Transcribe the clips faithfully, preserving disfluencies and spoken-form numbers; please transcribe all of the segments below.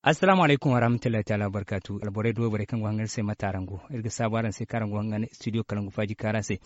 Assalaamu alaykum warahmatullahi taala wabarkaatu. Alborey da wayborey kaŋ go hangan se mate araŋ go? Iri ga saabu araŋ se kaŋ araŋ go hangan studio kalangu faaji kaara se.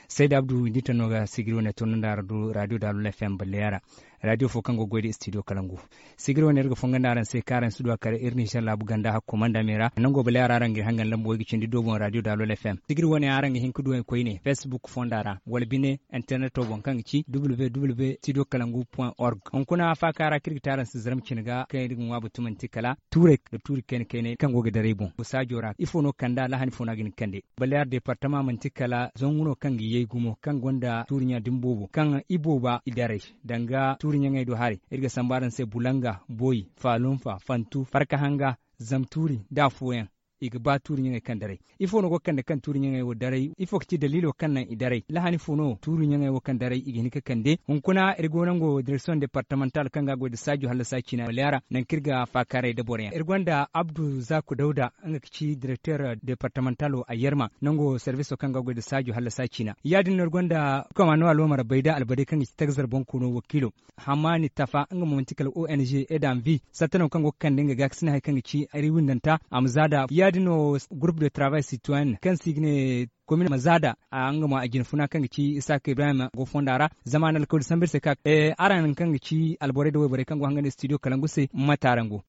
Sayda abdu windi tanno ga sigiri wane turnandi araŋ do radio dalol fm balleya ra. Radio fo kaŋ go ga goy da studio kalangu. Sigiri wane iri ga fongandi araŋ se kaŋ araŋ si du a kare iri nizer laabu ganda hakko manda me ra nango balleya ra araŋ ga iri hangan lambu way ga cindi do boŋ radio dalol fm. Sigiri wane araŋ ga hin ga du a koyne facebook fonda ra wala bine interneto boŋ kaŋ ga ci www studio kalangu point org. Hunkuna faaka ra kaŋ iri ga te araŋ se zarma cine ga kaŋ iri ga ŋwa batu manti kala tuurey da tuuri kayna kaynay kaŋ go ga daray boŋ saajo ra ifo no kanda lahani fo no a ga hin ga kande. Baleer departama manti kala zangu no kaŋ ga yay gumo kaŋ gonda tuuri ɲa din boobo kaŋ i booba i daray danga tuuri ɲaŋey do haray. Iri ga sambu araŋ se bulanga boy faalunfa fantu farka hanga zamtuuri da afooyaŋ. I ga ba tuuri ɲaŋey kaŋ daray ifo no go ga kande kaŋ tuuri ɲaŋey wo daray ifo ga ci daliilo kaŋ naŋ i daray lahani fo no tuuri ɲaŋey wo kaŋ daray i ga hin ga kande hunkuna iri go nango direksiyoŋ departamental kaŋ ga a goy nda saajo hallasa ciina wala yaara nangu kaŋ iri ga faakaaray da boroyaŋ iri gonda abdu zaaku dawda nga ga ci direkteer departamentalo a yerma nango serviso kaŋ ga a goy nda saajo hallasa ciina ya- din no iri gonda komando alwamar bayda albadey kaŋ ga ci tagazar boŋ koono wakiilo. Hamani tafa nga mo manti kala ong edamvi sattanaŋ kaŋ go ga kande nga gaakasina hari kaŋ ga ci iri windanta a ma za da ya- din no groupe de travail citoyen kaŋ se i ga ne komin ma za da. Nga mo a jinfuna kaŋ ga ci isaaka ibrahim go fonda ra zama a na alkawli sambu iri se ka araŋ kaŋ ga ci alborey nda wayborey kaŋ go hangan studio kalangu se mate araŋ go.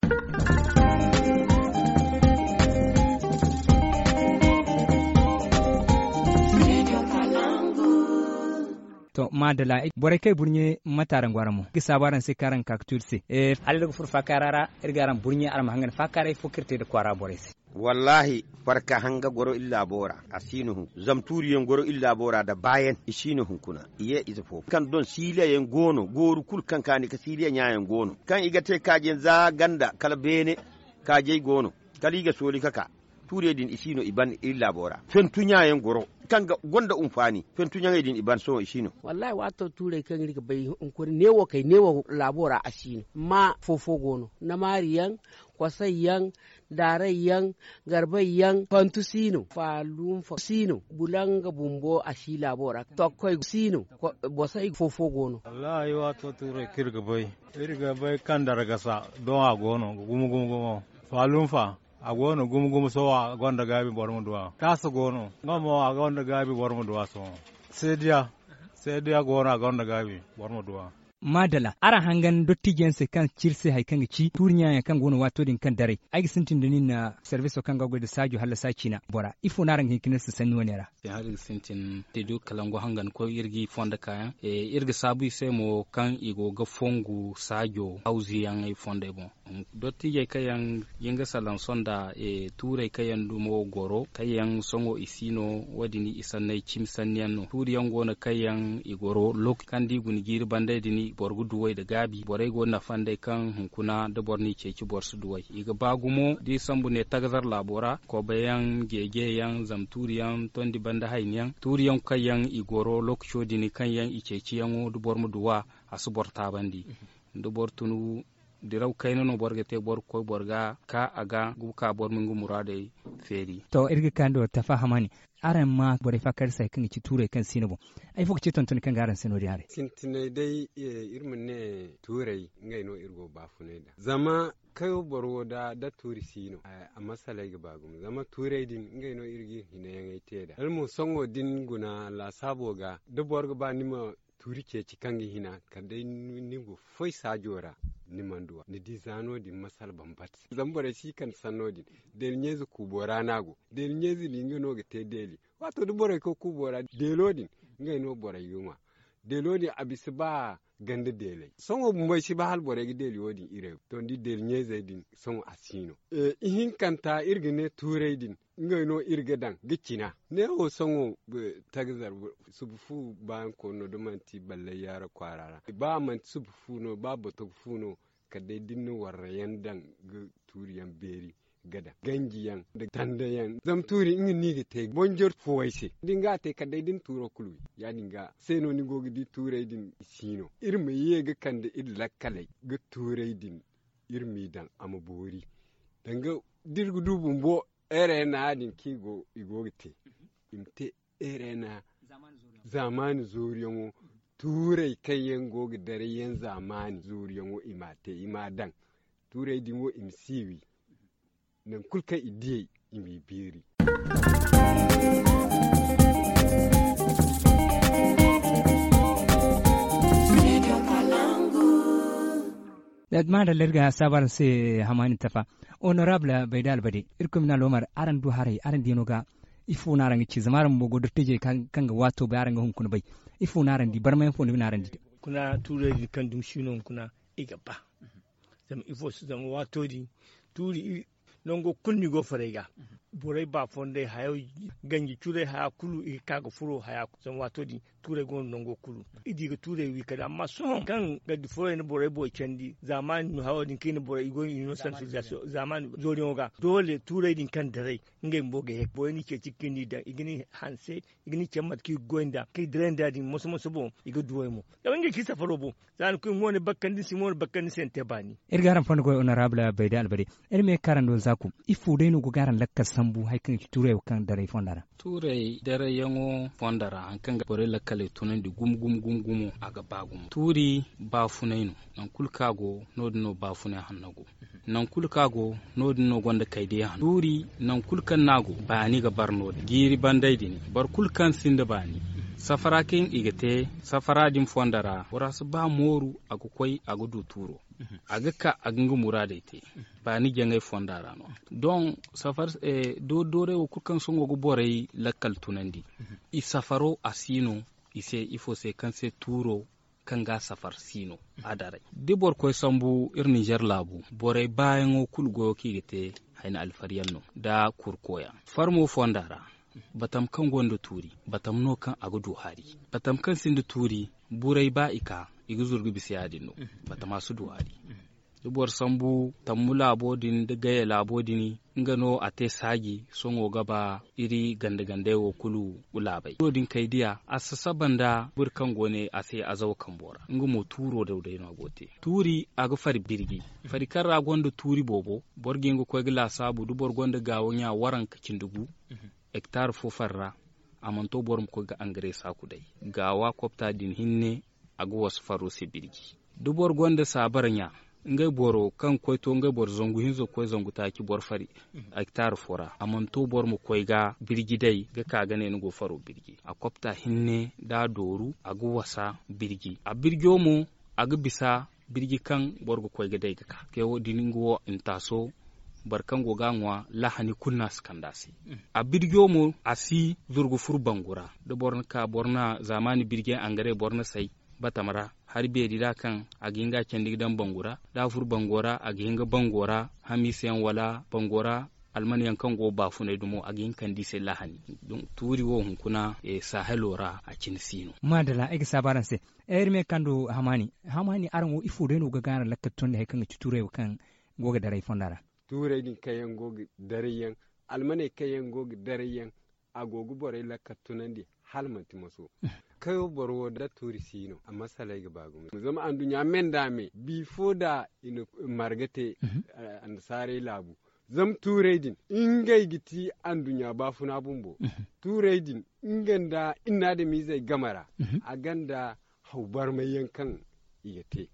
To maadala borey kaŋ ay burɲe mate araŋ go araŋ mo iri ga saabu araŋ se kaŋ araŋ ga ka ga tu iri se. Hala iri ga furo faakaara ra iri ga araŋ burɲe araŋ ma hangan faakaaray fo kaŋ iri te nda kwaara borey se. Wallaahi, farka hanga goro iri laabo ra a si no hunkuna zama tuuriyaŋ goro iri laabo ra nda baayaŋ i si no hunkuna i ye ize fo kaŋ doŋ siiliya yaŋ go no gooru kulu kaŋ kaani ka siiliya ɲaayaŋ go no kaŋ i ga te kaajiyaŋ za ganda kala beene. Kaajey go no kala i ga sooli ka ka tuurey din i si no i ban iri laabo ra fentu ɲaayaŋ goro kaŋ gonda hunfaani fentu ɲaŋey din i ban sohõ i si no. Wallaahi waato tuurey kaŋ iri ga bay hunkuna neewo kay neewo laabo ra a si no. Amma fo-fo go no namaari yaŋ, kosay yaŋ, daaray yaŋ, garbay yaŋ fantu si no faalunfa si no bulanga bumbo a si laabo ra tokkoy si no. Bosay fo-fo go no. Wallaahi waato tuurey kaŋ iri ga bay iri ga bay kaŋ dargasa doŋ a go no ga gumo gumo gumo. Faalunfa a go no gumo gumo sohõ a gonda gaabi boro ma du a taasa go no nga mo a gonda gaabi boro ma du a sohõ. Seediya seediya go no a gonda gaabi boro ma du a. Maadala araŋ hangan dottijo yaŋ se kaŋ ci iri se hari kaŋ ga ci tuuri ɲaayaŋ kaŋ go no waato din kaŋ daray ay ga sintin da nin. Sarbiso kaŋ ga goy nda saajo hallasa ciina bora ifo no araŋ ga hin ka ne iri se sanni wane ra? Hari ga sintin te du kalangu hangan koy iri ga i fondo kaayaŋ iri ga saabu i se mo kaŋ i go ga fongu saajo hawziyaŋey fondey boŋ. Dottijey kaŋ yaŋ ga salaŋ sonda tuurey kaŋ yaŋ dumo goro kaŋ yaŋ sohõ i si no wo- din i sanney cimi sanni yaŋ no tuuri yaŋ go no kaŋ yaŋ i goro lokaci kaŋ da i guna jiiri bandey din boro ga duwey nda gaabi borey go nafa nd'ey kaŋ hunkuna da boro n'i ceeci boro si duwey i ga ba gumo da i sambu ne tagazar laabo ra kobe yaŋ jeeje yaŋ zama tuuri yaŋ tondi banda hayni yaŋ tuuri yaŋ kaŋ yaŋ i goro lokaco din kaŋ yaŋ i ceeci yaŋo da boro ma duw'a a si boro taabandi. Da boro tun diraw kayna no boro ga te boro ga koy boro ga ka a ga ga ka boro ma nga muraadey feeri. To iri ga kaani do tafa hamani araŋ ma borey faakari se hari kaŋ ga ci tuurey kaŋ si no boŋ? Ay fo ga ci tontoni kaŋ ga araŋ se no- din haray? Sintinay day iri ma ne tuurey ngey no iri go ga baafunay nd'a zama kayo boro wo da tuuri si no a masaley ga ba gumo zama tuurey din ngey no iri ga iri hinayaŋey te nd'a hala mo sohõ da ni guna laasaabo ga da boro ga ba ni ma tuuri ceeci kaŋ ga hina kala day ni go foy saajo ra ni mana du a ni di za no- din masala bambata se zama borey si kande sanno din. Deeli ɲeeze kuubo ra no a go deeli ɲeeze din nga no ga te deeli. Waato da borey koy kuubo ra deelo din ngey no borey ga ŋwa. Deelo din a bisa ba ganda deeley sohõ bumbo ay si ba hala borey ga deeli wo- din iray to ni di deeli ɲeezey din sohõ a si no. Ihinkanta iri ga ne tuurey din ngey no iri ga daŋ ga cina neewo sohõ. Tagazar suba fu baayaŋ koonu no da manti ballay yaara kwaara ra ba manti suba fu no ba botogo fu no kala day da ni na warra yaŋ daŋ ga tuuri yaŋ beeri ga daŋ ganji yaŋ nda tanda yaŋ zama tuuri nga no i ga te bonjor fuwey se da ni ga a te kala day da ni tuuro kulu wi ya- din ga se no ni go ga di tuurey din i si no iri ma ye ga kande iri lakkaley ga tuurey din iri m'i daŋ a ma boori. Danga da iri ga du bumbo ere na ya- din kaŋ i go ga te i ma te ere na zaamaani zooriyaŋo tuurey kaŋ yaŋ go ga daray yaŋ zaamaani zooriyaŋo i m'a te i m'a daŋ. tuurey din wo i ma si wi. Nangu kulu kaŋ i diyey i m'i biiri. Maadalla iri ga saabu araŋ se, hamaani tafa. Honorable bayda albade, irkoy ma naŋ alwamar araŋ du haray araŋ diyaŋo ga. Ifo no araŋ ga ci zama araŋ bumbo go dottijey kaŋ ga waato bay araŋ ga hunkuna bay? Ifo no araŋ di barmayaŋ fo no ga ne araŋ di? Hunkuna tuurey din kaŋ dumi si no hunkuna i ga ba. Zama ifo se zama waato din tuuri nango kulu no i go faray ga. Borey ba fondey hayo ganji curey haya kulu i ga ka ga furo haya kulu zama waato din tuurey go no nango kulu. I di ga tuurey wi kala amma sohõ kaŋ ga di furey na borey boy candi zaamaani no hayo din kaŋ i na borey i go no i no sansibilizasiyoŋ zaamaani zooriyaŋo ga doole tuurey din kaŋ daray ngey bumbo ga ye borey n'i ceeci ga ni daŋ i ga ni hanse i ga ni cabe mate kaŋ i ga goy nd'a kaŋ i diray nd'a din moso moso boŋ. I ga duwey mo zama ngey ci safaro boŋ. Za ni koy mo ni bakkandi ni si mo ni bakkandi ni se ni te baani. Iri ga araŋ fondo goy honorable bayda albade. Iri ma ye ga ka araŋ do zaaku ifo day no go ga araŋ lakkal sambu hari kaŋ ga ci tuurey wo kaŋ daray fonda ra? Tuurey darayyaŋo fonda ra hari kaŋ ga borey lakkaley tunandi gumo gumo gumo gumo a ga ba gumo tuuri baafunay no. Nangu kulu kaŋ a go no- din no baafunay hanno go. Nangu kulu kaŋ a go no- din no gonda kaydiya hanno tuuri. Nangu kulu kaŋ no a go baani ga bar no- din jiiri banday din boro kulu kaŋ sinda baani safara kaŋ i ga te safara din fonda ra bora si ba mooru a ga koy a ga du tuuro. A ga ka a ga nga muraadey te baani jaŋay fonda ra no. Doŋ safar doori dooray wo kulu kaŋ sohõ ga borey lakkal tunandi i safaro a si no. I se ifo se kaŋ se tuuro kaŋ ga a safar si no. A daray da boro koy sambu iri ninzeer laabu borey baayaŋo kulu goyo kaŋ i ga te hayna alfariyaŋ no nda kurkoyaŋ farmo fonda ra. Batam kaŋ gonda tuuri batam no kaŋ a ga du hari. Batam kaŋ sinda tuuri burey ba i ka i ga zuru ga bisa ya- din no. Batama si du hari. Da boro sambu tammu laabo din da gaya laabo din nga no a te saaji sohõ ga ba iri ganda gandey wo kulu. Laabey no- din kay diya a sasaba nda boro kaŋ go ne a se azawa kambo ra nga mo tuuro daw day no a go te. Tuuri a ga fari birji fari kaŋ ra gonda tuuri boobo boro ga hin ga koy ga laasaabu da boro gonda gaawo ɲa waranka cindi gu. Hektar fo fari ra a mana to boro ma koy ga angare saaku day. Gaawa kopta din hinne a ga wasu faro se birji da boro gonda saabara ɲa ngey boro kaŋ ga koy to ngey boro zangu hinza ga koy zangu taaci boro fari. Hektar fo ra a mana to boro ma koy ga birji day ga ka ga ne ni go faro birji a kopta hinne da a dooru a ga wasa birji a birjo mo a ga bisa birji kaŋ boro ga koy ga day ga ka te wo- din nga wo ntaaso boro kaŋ go ga a ŋwa lahani kulu no a si kande a se. A birjo mo a si zuru ga furu bangu ra da boro na ka boro na zaamaani birjey angare boro na say batama ra hari beeri ra kaŋ a ga hin ga a candi ga daŋ bangu ra da a furu bango ra a ga hin ga bango ra hamiisa yaŋ wala bango ra alman yaŋ kaŋ go baafunay dumo a ga hin ga kande i se lahani. Tuuri wo hunkuna sahelo ra a cine si no. Maadalla ay ga saabu araŋ se. Iri ma ye ga kande hamaani hamaani araŋ wo ifo day no ga gaara lakkal tunandi hari kaŋ ga ci tuuray wo kaŋ go ga daray fonda ra? Tuuray din kaŋ yaŋ go ga daray yaŋ almaney kaŋ yaŋ go ga daray yaŋ a go ga borey lakkal tunandi hala manti maso. Kayo boro wo da tuuri si no a masaley ga ba gumo zama anduɲɲa me nda me bifo da i na marga te annasaarey laabu. Zama tuurey din ngey ga ti anduɲɲa baafuna bumbo. Tuurey din nga nda i na adamizey game ra a gonda haw barmay yaŋ kaŋ i ga te.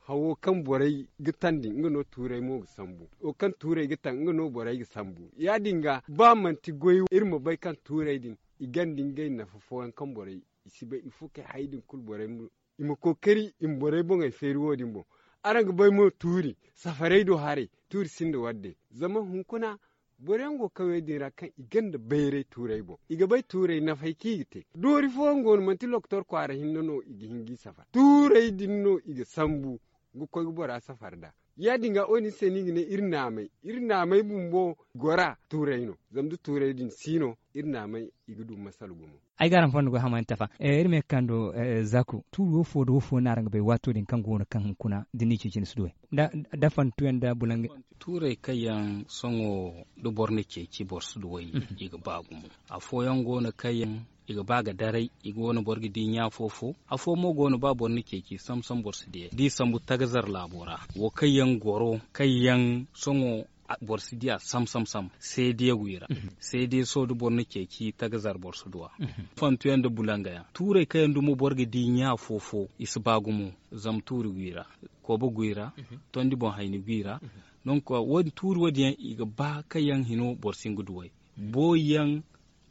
Hawo kaŋ borey ga tandi nga no tuurey mo ga sambu wo kaŋ tuurey ga taŋ nga no borey ga sambu ya- din ga ba manti goy iri ma bay kaŋ tuurey din i gonda ngey nafa fooyaŋ kaŋ borey i si bay ifo kay hayey din kulu borey ma i ma kookari i ma borey boŋey feeri wo- din boŋ. Araŋ ga bay mo tuuri safarey do haray tuuri sinda wadde zama hunkuna boro yaŋ go kawey din ra kaŋ i gonda bayray tuurey boŋ i ga bay tuurey nafay kaŋ i ga te doori fooyaŋ go no manti lokotor kwaara hinne no i ga hin ga i safar tuurey din no i ga sambu ga koy ga bora safar nd'a. Ya- din ga wo- din se no i ga ne iri naamay iri naamay bumbo gora tuurey no. Zama da tuurey din si no iri naamay i ga du masala gumo. Ay ga araŋ fondo goy hamaani tafa iri ma ye ga kando. Zaku tuuri wo fo nda wo fo no araŋ ga bay waato din kaŋ go no kaŋ hunkuna da ni ceeci ni si duwey da fantuyaŋ nda bulaŋ. Tuurey kaŋ yaŋ sohõ da boro na ceeci boro si duwey i ga ba gumo. Afooyaŋ go no kaŋ yaŋ i ga ba ga daray i go no boro ga di ɲa fo fo. Afo mo go no ba boro na ceeci sam sam boro si diyey da i sambu tagazar laabo ra wo kaŋ yaŋ goro kaŋ yaŋ sohõ boro si diya sam sam sam seediya wi ra. Seediya sohõ da boro na ceeci tagazar boro si duw'a. Fantuyaŋ nda bulaŋ ga yaŋ tuurey kaŋ yaŋ dumo boro ga di ɲa fo fo i si ba gumo. Zama tuuri wi ra kooba gu i ra tondi boŋ hayni gu i ra. Donc wo- din tuuri wo- din yaŋ i ga ba kaŋ yaŋ hino boro si hin ga duw'ey. Booyi yaŋ,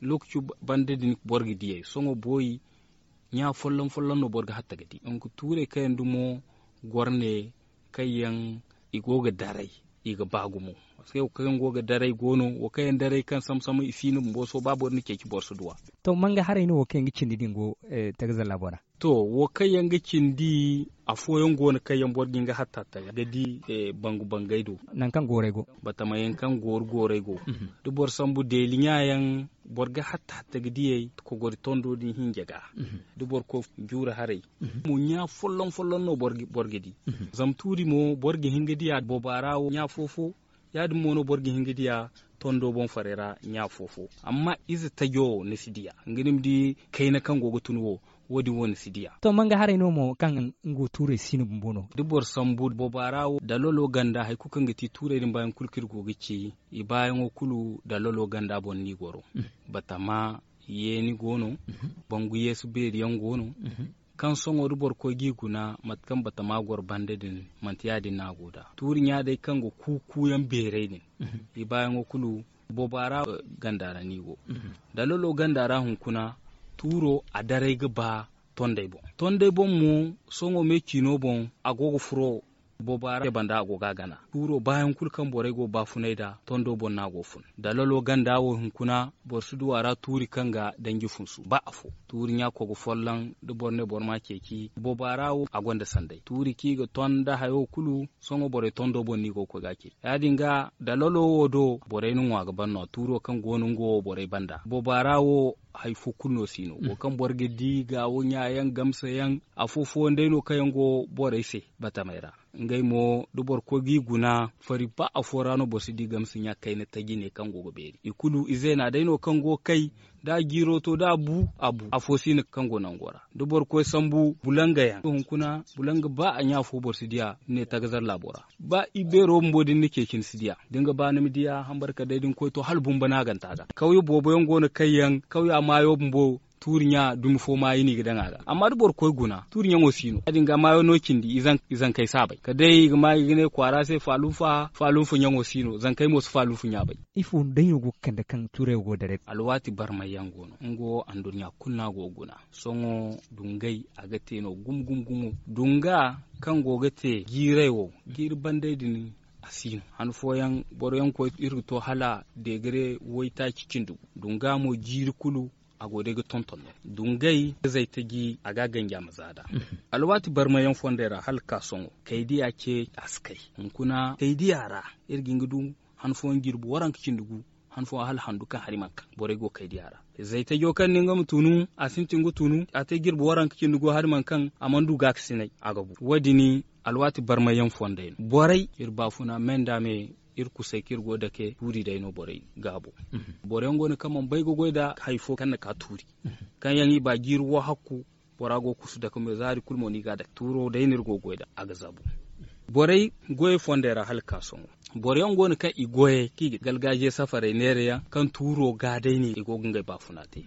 lookaci banda din boro ga diy'ey sohõ booyi. Ɲa folloŋ folloŋ no boro ga hatta ga di. Donc tuurey kaŋ yaŋ dumo goro ne, kaŋ yaŋ i go ga daray, i ga ba gumo. Parce que wo kaŋ yaŋ go ga daray go no, wo kaŋ yaŋ daray kaŋ sambu sambu i si no bumbo sohõ ba boro na ceeci boro si duw'a. To manga haray no wo kaŋ yaŋ ga cindi din go tagazalla bora? To, wo kaŋ yaŋ ga cindi, afooyaŋ go no kaŋ yaŋ boro ga hin ga hatta hatta ga di bangu bangey do. Nangu kaŋ gooray go. Batama yaŋ kaŋ gooru gooray go. Da boro sambu deeli ɲa yaŋ, boro ga hatta hatta ga diy'ey kogori tondo din hinja ga. Da boro koy juura haray, mo ɲa folloŋ folloŋ no boro ga di. Zama tuuri mo boro ga hin ga diya boba ra wo ɲa fo fo. Ya- din mo no boro ga hin ga diya tondo boŋ farey ra ɲa fo fo. Amma ize tajo wo ni si diya nga ni ma di kayna kaŋ go ga tun wo. Wo- din wo ni si diya. To manga haray no mo kaŋ nga wo tuurey si no bumbo no? Da boro sambu boba ra wo dalolo ganda hari kulu kaŋ ga ti tuurey din baayaŋ kulu kaŋ iri go ga ci, i baayaŋo kulu dalolo ganda boŋ no i goro. Batama yeeni go no. Bangu yeesu beeri yaŋ go no. Kaŋ sohõ da boro koy g'i guna mate kaŋ batama goro banda din, manti ya- din no a go nd'a. Tuuri ɲa day kaŋ ga kuuku yaŋ beeray din, i baayaŋo kulu boba ra ganda ra no i go. Dalolo ganda ra hunkuna, tuuro a daray ga ba tondey boŋ. Tondey boŋ mo, sohõ me ciino boŋ, a go ga furo boba ra banda, a go ga a gana. Tuuro baayaŋ kulu kaŋ borey go baafunay nd'a, tondo boŋ no a go fun. Dalolo ganda wo hunkuna, boro si du a ra tuuri kaŋ ga danji funsu ba afo. Tuuri ɲa kogo folloŋ, da boro ne boro m'a ceeci boba ra wo, a gonda sanday. Tuuri kaŋ i ga ton nda hayo kulu, sohõ borey tondo boŋ no i go ga koy ga a ceeci. Ya- din ga dalolo wo do, borey na ŋwa ga ban no- ya tuuro kaŋ go no nga wo borey banda. Boba ra wo, hari fo kulu no si no wo kaŋ boro ga di gaawo ɲa yaŋ gamsa yaŋ. Afo fooyaŋ day no kaŋ yaŋ go borey se batamey ra. Ngey mo, da boro koy g'i guna, fari ba afo ra no boro si di gamsa ɲa kayna taji ne kaŋ go ga beeri. I kulu izeena day no kaŋ go ga kay, da a jiiro to da a bu, a bu afo si no kaŋ go nango ra. Da boro koy sambu bulanga yaŋ hunkuna, bulanga ba a ɲa fo boro si diya. Ne tagazar laabo ra, ba i beero bumbo da ni na ceeci ni si diya. Da ni ga ba ni ma diya hambarka day da ni koy to hala bumbo no a ganta ga kawye boobo yaŋ go no kaŋ yaŋ kawya maayo bumbo, tuuri ɲa dumi fo maayo no i ga daŋ a ga. Amma da boro koy guna tuuri ɲaŋo si no ya- din ga maayo no cindi. I zankey saabay kala day i ga ma i ga ne kwaara se faaluufa faaluufa ɲaŋo si no zankey mo si faaluufa ɲa bay. Ifo day no go ga kande kaŋ tuurey wo go ga daray? Alwaati barmay yaŋ go no nga wo anduɲɲa kulu no a go ga guna. Sohõ dungay a ga te no gumo gumo gumo. Dunga kaŋ go ga te jiiray wo jiiri banday din, a si no. Han fooyaŋ boro yaŋ ga koy iri ga to hala deegare waytaaci cindi gu. Dunga mo jiiri kulu a go day ga tonton no. Dungay zaytaji a ga a ganji a ma za nd'a. Alwaati barmay yaŋ fondey ra hala ga ka sohõ kay diya ce a si kay. Hunkuna kay diya ra iri ga hin ga du han fooyaŋ jirbi waranka cindi gu, han fooyaŋ hala handu kaŋ hari mana kaŋ borey go ga kay diya ra. Zaytajo kaŋ no nga ma tunu a sintin ga tunu a te jirbi waranka cindi gu hari mana kaŋ a mana du gaakasinay a ga bu. Wo- din alwaati barmay yaŋ fondey no borey iri baafuna me nda me. Iri kusay kaŋ iri go ga dake tuuri day no borey gaabo. Boro yaŋ go no kaŋ mana bay ga goy nda hari fo kaŋ na ka tuuri kaŋ yaŋ i ba jiiri wo hakku. Bora go ga kusu dake me zaari kulu mo no i ga a dake tuuro day no iri go ga goy nd'a a ga zabu. Borey goyey fondey ra hala ga ka sohõ boro yaŋ go no kaŋ i goyey kaŋ i ga galgaajiya safarey neera yaŋ kaŋ tuuro ga day no i go ga ngey baafuna te.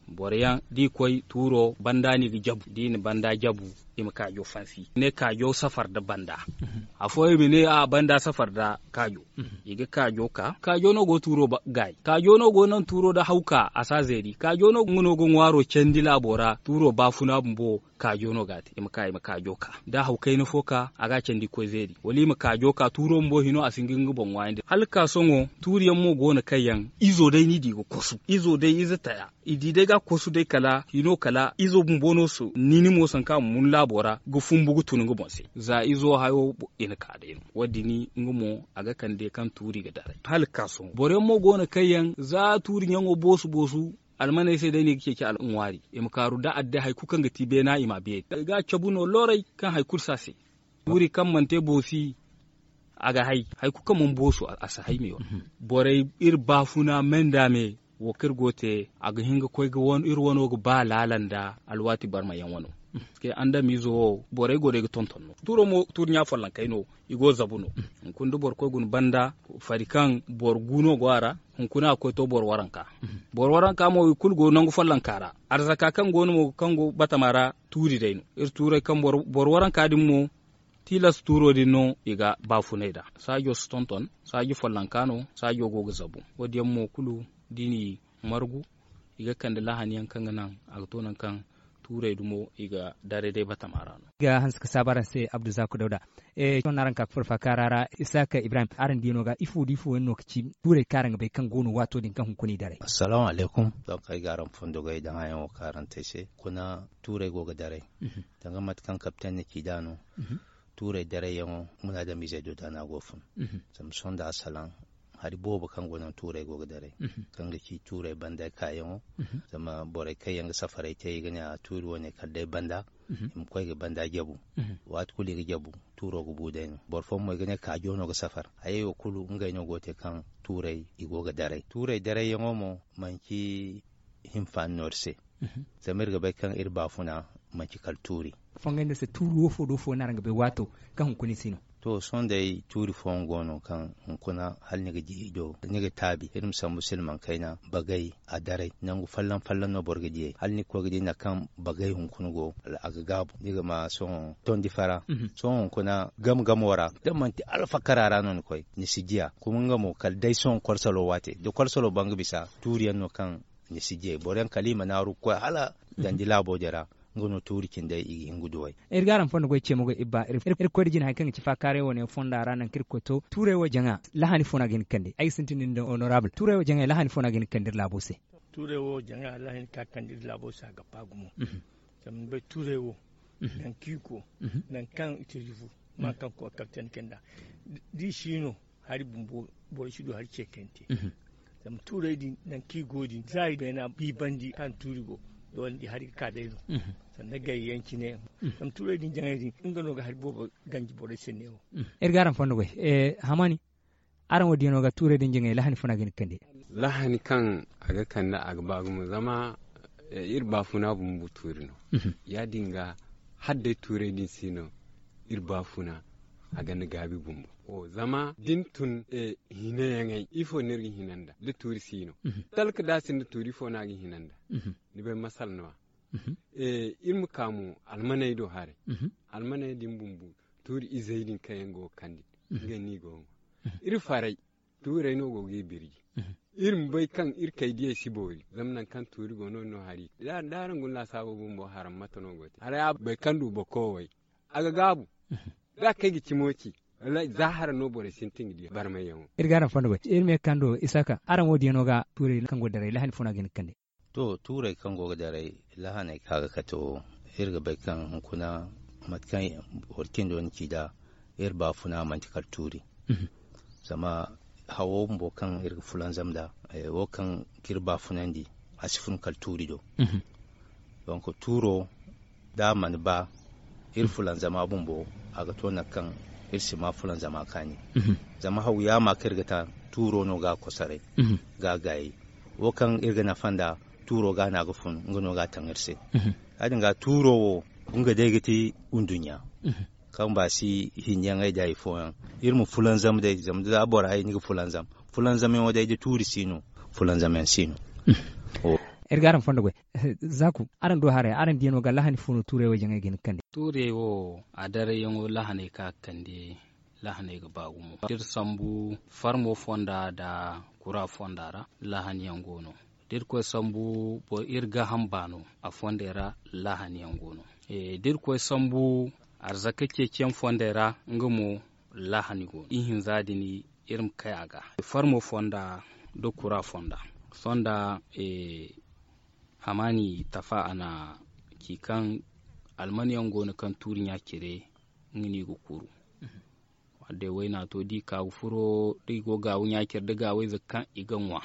Boro yaŋ da i koy tuuro banda no i ga jabu da i na banda jabu i ma kaajo fansi i ne kaajo safar nda banda. Afooyaŋ i ma ne a banda safar nda kaajo. I ga kaajo ka kaajo no go ga tuuro gaayi kaajo no go ga naŋ tuuro da haw ka a si a zeeri kaajo no nga no ga ŋwaaro candi laabo ra tuuro baafuna bumbo. Kaajo no ga a te i ma ka i ma kaajo ka da haw kayna fo ka a ga a candi ga koy zeeri wala i ma kaajo ka tuuro bumbo hino a si hin ga nga boŋ ŋwaayandi hala ga ka sohõ tuuri yaŋ mo go no kaŋ yaŋ izo day no i di ga kosu izo day ize taya. I di day ga a kosu day kala hino kala izo bumbo no so nini mo sanka a ma mun laabo ra ga fumbu ga tun nga boŋ se za izo hayo. I na ka day no wo- din nga mo a ga kande kaŋ tuuri ga daray hala ga ka sohõ boro yaŋ mo go no kaŋ yaŋ za tuuri ɲaŋo boosu boosu. Almaney se day no i ga ceeci ŋwaari i ma kaaru da adde hari kulu kaŋ ga ti beena i m'a beeri i ga a cabu no looray kaŋ hari kulu si a se. Tuuri kaŋ mana te boosi a ga hay hari kulu kaŋ mana boosu a si hay me wo. Borey iri baafuna me nda me wo kaŋ iri go ga te a ga hin ga koy ga iri wano ga ba laala nda alwaati barma yaŋ wano. Parce que andamiizo wo borey go day ga tonton no tuuro mo tuuri ɲa follonkey no. I go ga zabu no hunkuna da boro koy guna banda fari kaŋ boro gu no go a ra. Hunkuna a ga koy to boro waranka boro waranka mo i kulu go nangu follonka ra. Arzaka kaŋ go no mo kaŋ go batama ra tuuri day no iri tuurey kaŋ boro waranka din mo. tilas tuuro din no i ga baafunay nd'a. Saajo si tonton, saaji follonka no, saajo go ga zabu. Wo- din yaŋ mo kulu da i n'i margu, i ga kande lahani yaŋ kaŋ ga naŋ a ga to nangu kaŋ tuurey dumo i ga daray day batama ra no. Ga hanse ga saabu araŋ se abdu zaaku dawda. Sohõ no araŋ ga ka ga furo faakaara ra, isaaka ibrahim, araŋ diya no ga ifo da ifo yaŋ no ga ci tuurey kaŋ araŋ ga bay kaŋ go no waato din kaŋ hunkuna i daray? Assalaamu alaykum. Donk ay ga araŋ fondo goy daŋ haya wo kaŋ araŋ te ay se. Kuna tuurey go ga daray, danga mate kaŋ kapten na ci nd'a no. Tuurey darayyaŋo, munaadamiizey do da no a go ga fun. Zama sohõ nda asalaŋ, hari boobo kaŋ go naŋ tuurey go ga daray, kaŋ ga ci tuurey banda kaayaŋo. Zama borey kaŋ yaŋ ga safaray te i ga ne a tuuri wane kala day banda, i ma koy ga banda jabu. Waati kulu i ga jabu, tuuro ga bu day no. Boro fooyaŋ mo i ga ne kaajo no ga safar. Hayey wo kulu ngey no go ga te kaŋ tuurey i go ga daray. Tuurey darayyaŋo mo manci hinfaani no iri se. Zama iri ga bay kaŋ iri baafuna manci kala tuuri. Fongey no se tuuri wo fo do fo no araŋ ga bay waato kaŋ hunkuna i si no? To sohõ day tuuri fooyaŋ go no kaŋ hunkuna hala ni ga di i do, ni ga taabi iri ma sambu silmaŋ kayna bagay a daray nangu folloŋ folloŋ no boro ga diyey hala ni ga koy ga di nangu kaŋ bagay hunkuna go a ga gaabu ni ga ma sohõ tondi fara. Sohõ hunkuna game gamo ra da manti alfakara ra no ni koy ni si diya kuma nga mo kala day sohõ kolsalo waate da kolsalo ba nga bisa tuuriyaŋ no kaŋ ni si diyey boro yaŋ kala i ma naaru ga koy hala dandi laabo din ra. Nga no tuuri cindey i ga hin ga duwey. Iri ga araŋ fondo goy ce mo goy ibba iri koy da jina hari kaŋ ga ci faakaaray wane fonda ra nangu kaŋ iri ga koy to tuurey wo jaŋa lahani fo no a ga hin ga kande ay ga sintin da ni da honorable tuurey wo jaŋa lahani fo no a ga hin ga kande iri laabo se? Tuurey wo jaŋa lahani kaŋ a ga kande iri laabo se a ga ba gumo. Zama ni bay tuurey wo nangu kaŋ i go nangu kaŋ i te jufu ma kaŋ koy kapten kayna da i si no hari bumbo boro si du hari ce kaŋ yaŋ te. Zama tuurey din nangu kaŋ i go din za i beena biibandi kaŋ tuuri go doole ni di hari ga ka day no. Sanda gayyaŋ cine zama tuurey din jaŋay din nga no ga hari boobo ganji borey se neewo. Iri ga araŋ fondo goy. Hamani, araŋ wo diya no ga tuurey din jaŋay lahani fo no a ga hin ga kande? Lahani kaŋ a ga kande a ga ba gumo zama iri baafuna bumbo tuuri no. Ya- din ga hala day tuurey din si no iri baafuna a gonda gaabi bumbo. Zama da ni tun hinayaŋey ifo no iri ga hina nd'a da tuuri si no? Talka da a sinda tuuri ifo no a ga hina nd'a? Ni bay masala no- ya iri ma ka mo almaney do haray. Almaney din bumbo tuuri izey din kaŋ yaŋ go ga kande ngey no i go ga ŋwa. Iri faray tuurey no go ga i birji. Iri ma bay kaŋ iri kay diyey si boori zama nangu kaŋ tuuri go no- din no hari da araŋ guna laasaabo bumbo haram mate no go te haray a bay kaŋ du boko way a ga gaabu. Da a kay ga cimo ci za hara no borey sintin ga di barmayyaŋo. Iri ga araŋ fondo goy iri ma ye ga kando isaaka araŋ wo diya no ga tuurey kaŋ go ga daray lahani fo no a ga hin ga kande? To tuurey kaŋ go ga daray lahaney kaŋ a ga kate wo iri ga bay kaŋ hunkuna mate kaŋ boro cindo ni ci nd'a iri baafuna manti kala tuuri. Zama hawo bumbo kaŋ iri ga fulanzam nd'a wo kaŋ ga iri baafunandi a si fun kala tuuri do. Donk tuuro da a mana ba iri fulanzama bumbo a ga to nangu kaŋ iri si ma fulanzama kaani. Zama haw yaama kaŋ iri ga ta tuuro no ga a kosoray ga a gaayey. Wo kaŋ iri ga nafa nd'a tuuro ga no a ga fun nga no ga a taŋ iri se. Ya- din ga tuuro wo nga day ga ti nduɲɲa kaŋ ba si hinjaŋey da hari fooyaŋ. Iri ma fulanzam day zama da bora hay ni ga fulanzam fulanzamyaŋo day da tuuri si no fulanzamyaŋ si no. Iri ga araŋ fondo goy. Zaaku, araŋ du haray araŋ diya no ga lahani fo no tuurey wo jaŋay ga hin ga kande? Tuurey wo a darayyaŋo lahaney kaŋ a ga kande lahaney ga ba gumo da iri sambu farmo fonda nda kura fonda ra. Lahani yaŋ go no da iri koy sambu iri gaaham baano a fondey ra. Lahani yaŋ go no da iri koy sambu arzaka ceeciyaŋ fondey ra nga mo lahani go no ihinza din iri ma kay a ga farmo fonda nda kura fonda. Sohõ nda hamaani tafa a na ci kaŋ almanyaŋ go no kaŋ tuuri ɲa-cire nga no i ga kuru. Wadday wayna to da i ka ga furo da i go gaawu ɲa-cire nda gaawayze kaŋ i ga ŋwa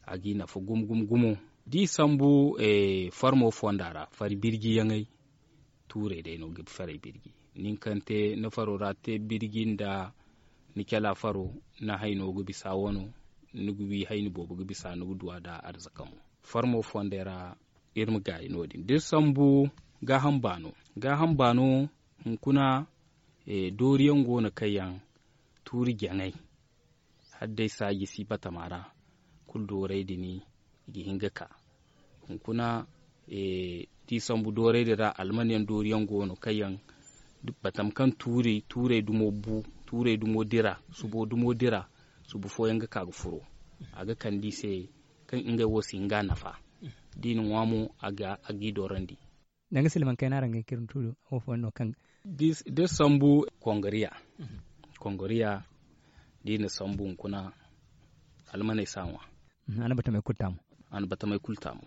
a g'i nafa gumo gumo gumo. Da i sambu farmo fonda ra fari birjiyaŋey tuurey day no ga ferey birji. Nin kaŋ te ni faro ra te birji nda ni cala faro ni hayno ga bisa wano ni ga wi hayni boobo ga bisa ni ga duwa nda arzaka mo. Farmo fondey ra iri ma gaayi no- din da iri sambu gaaham baano gaaham baano hunkuna dooriyaŋ go no kaŋ yaŋ tuuri jaŋay hala day saaji si batama ra kulu dooray din i ga hin ga ka. Hunkuna da i sambu dooray din ra almanyaŋ dooriyaŋ go no kaŋ yaŋ Batam kaŋ tuurey dumo bu, tuurey dumo dira, subo dumo dira, subu fooyaŋ ga ka ga furo. A ga kande i se kaŋ ngey wo si hin ga a nafa. Da i na ŋwa mo, a g'i doorandi. Danga silmaŋ kayna araŋ ga hin ka iri ma tuuri wo fooyaŋ no kaŋ da iri sambu kongoriya. Kongoriya da i na sambu hunkuna, almaney si a ŋwa. A na batamey kulu taamu.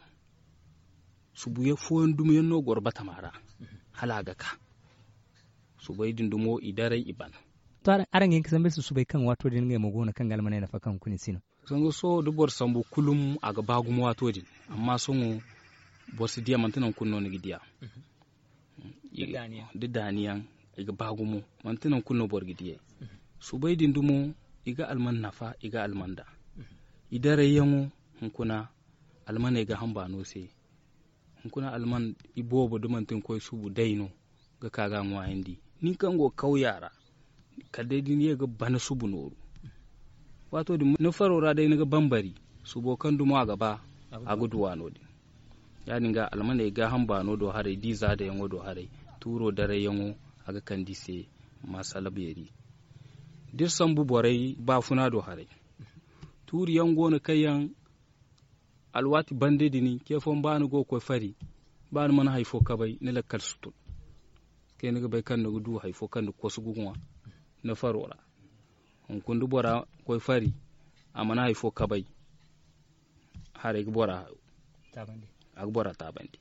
Subu fooyaŋ dumiyaŋ no goro batama ra, hala a ga ka. Subey din dumo i daray i ban. To, araŋ ga hin ka sambu ay se subey kaŋ waato din ngey mo go no kaŋ ga almaney nafa kaŋ hunkuna i si no? Sanga sohõ da boro sambu kulum a ga ba gumo waato din. Amma sohõ boro si di a manti nangu kulu no ni ga di a. Da daaniyaŋ i ga ba gumo, manti nangu kulu no boro ga di ay. Subey din dumo i ga alman nafa, i ga alman da i darayyaŋo. Hunkuna almaney ga hamba no se. Hunkuna alman iboobo da manti ni koy subu day no ga ka ga a ŋwaayandi. Nin kaŋ go kawya ra, kala day da ni ye ga bana subu nooru. Waato din ni faro ra day ni ga bambari, subo kaŋ dumo a ga ba a ga duwa no- din. Ya- din ga almaney gaaham baano do haray da i zaadayaŋo do haray, tuuro darayyaŋo a ga kande i se. Maasala beeri da iri sambu borey baafuna do haray. Tuuri yaŋ go no kaŋ yaŋ alwaati bande din ce fooyaŋ ba ni go ga koy fari, ba ni mana hari fo kabay ni lakkal si tun. Kay ni ga bay kaŋ ni ga du hari fo kaŋ ni ga kosu ga ŋwa ni faro ra. Hunkuna da bora koy fari, a mana hari fo kabay, haray ga bora hayo. A ga bora taabandi.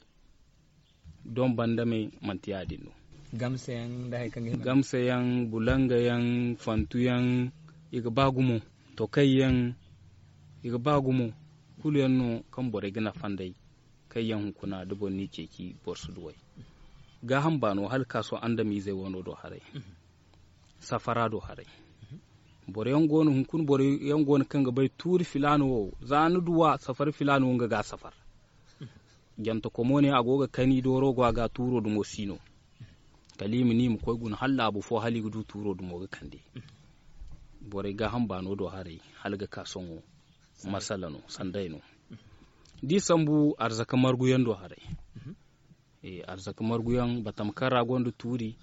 Don banda me manti ya- din no. Gamsa yaŋ, bulanga yaŋ, fantu yaŋ, i ga ba gumo. Tokay yaŋ, i ga ba gumo. Kulu yaŋ no kaŋ borey ga nafa nd'ey. Kaŋ yaŋ hunkuna da boro n'i ceeci boro si duw'ey. Gaaham baano hala ga ka sohõ andamiizey wano do haray. Safara do haray. Boro yaŋ go no hunkuna boro yaŋ go no kaŋ ga bay tuuri filaana wo, za ni duw'a safari filaana wo nga ga a safar. Jantakomo ne a go ga kani dooro go a ga tuuro dumo si no. Kala i ma ni i ma koy guna hala laabu fo hala i ga du tuuro dumo ga kande. Borey gaaham baano do haray hala ga ka sohõ. Masala no sanday no. Da i sambu arzaka margu yaŋ do haray. Arzaka margu yaŋ batama kaŋ ra gonda tuuri.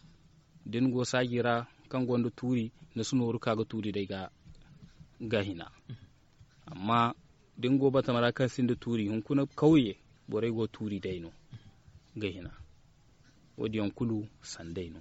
Da ni go saaji ra kaŋ gonda tuuri, ni si nooru ka ga tuuri day ga hina. Amma da ni go batama ra kaŋ sinda tuuri hunkuna kawye, borey go tuuri day no. Ga hina. Wo- din yaŋ kulu sanday no.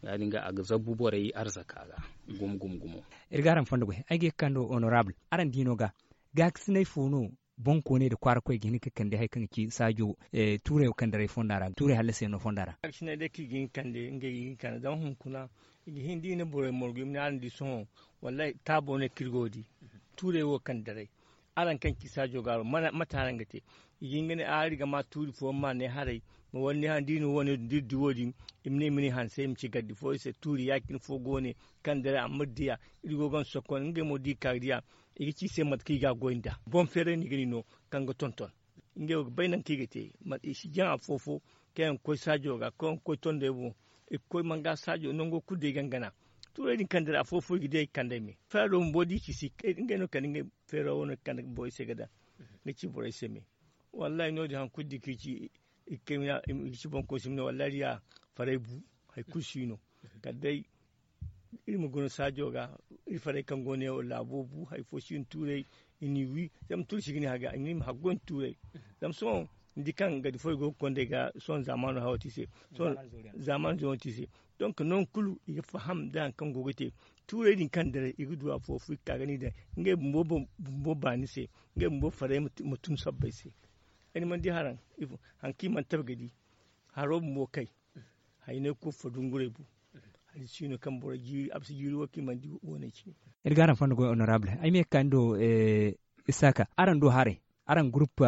Ya- din ga a ga zabbu borey arzaka ga. Gumo gumo gumo. Iri ga araŋ fondo goy ay ga ye ga kando honorable, araŋ diino ga gaakasinay fo no? Boŋkooney nda kwaarakoy ga hin ga kande hari kaŋ ga ci saajo tuurey wo kaŋ daray fonda ra tuurey hallasiyaŋ no fonda ra. Gaakasinay day kaŋ i ga hin ga kande ngey ga hin ga kande zama hunkuna i ga hin da i na borey margu i ma ne araŋ di sohõ. Wallaahi taabo no kaŋ iri go ga di. Tuurey wo kaŋ daray araŋ kaŋ ci saajo gaaro mate araŋ ga te? I ga hin ga ne a iri ga ma tuuri fooyaŋ ma ne haray. Ma wala ni haŋ da i na wo- ne din da iri di wo- din i ma ne i ma ne hanse i ma ci gardi fo iri se tuuri ya- cine fo go ne kaŋ daray a ma di a. Iri go ga ni sokkon ngey mo da i ka ga di a. I ga ci i se mate kaŋ i ga a goy nd'a boŋ feeray no i ga ni no kaŋ ga tonton. Ngey wo ga bay nangu kaŋ i ga te. I si jaŋ afo-fo kaŋ yaŋ ga koy saajo ga kaŋ yaŋ ga koy tondey boŋ. I ga koy manga saajo nango kulu day gangana. Tuurey din kaŋ daray afo-fo i ga di ay ga kande ay me feero bumbo da i ci si ngey no kala ngey feero wo no ga kande borey se ga daŋ ga ci borey se me. Wallaahi no- din hari kulu da i ga ci i ga ci boŋkoy si ma ne wallaahi da ya faray bu. Hari kulu si no kala day iri ma guna saajo ga. Iri farey kaŋ go no yaŋ laabo bu hari fo si no tuurey. I n'i wi zama tuuri si ga ni haga i ma haggoy nda tuurey. Zama sohõ ni di kaŋ gadi fo i go ga kond'ey ga sohõ zaamaano hawo te i se. Zaamaano zoono te i se. Donk nangu kulu i ga faham nda hari kaŋ go ga te. Tuurey din kaŋ daray i ga du afo-fo i ga ka ga ni daŋ ngey bumbo baani se. Ngey bumbo farey ma tun sabbay se. Ay ni mana di haraŋ hari kaŋ i mana tabi ga di. Haro bumbo kay. Haynay kulu fo dungurey bu. Hari si no kaŋ boro jiiri a bisa jiiri wo kaŋ i mana di woone cine. Iri ga araŋ fondo goy honorable ay ma ye ga ka ni do. Isaaka araŋ do haray araŋ groupe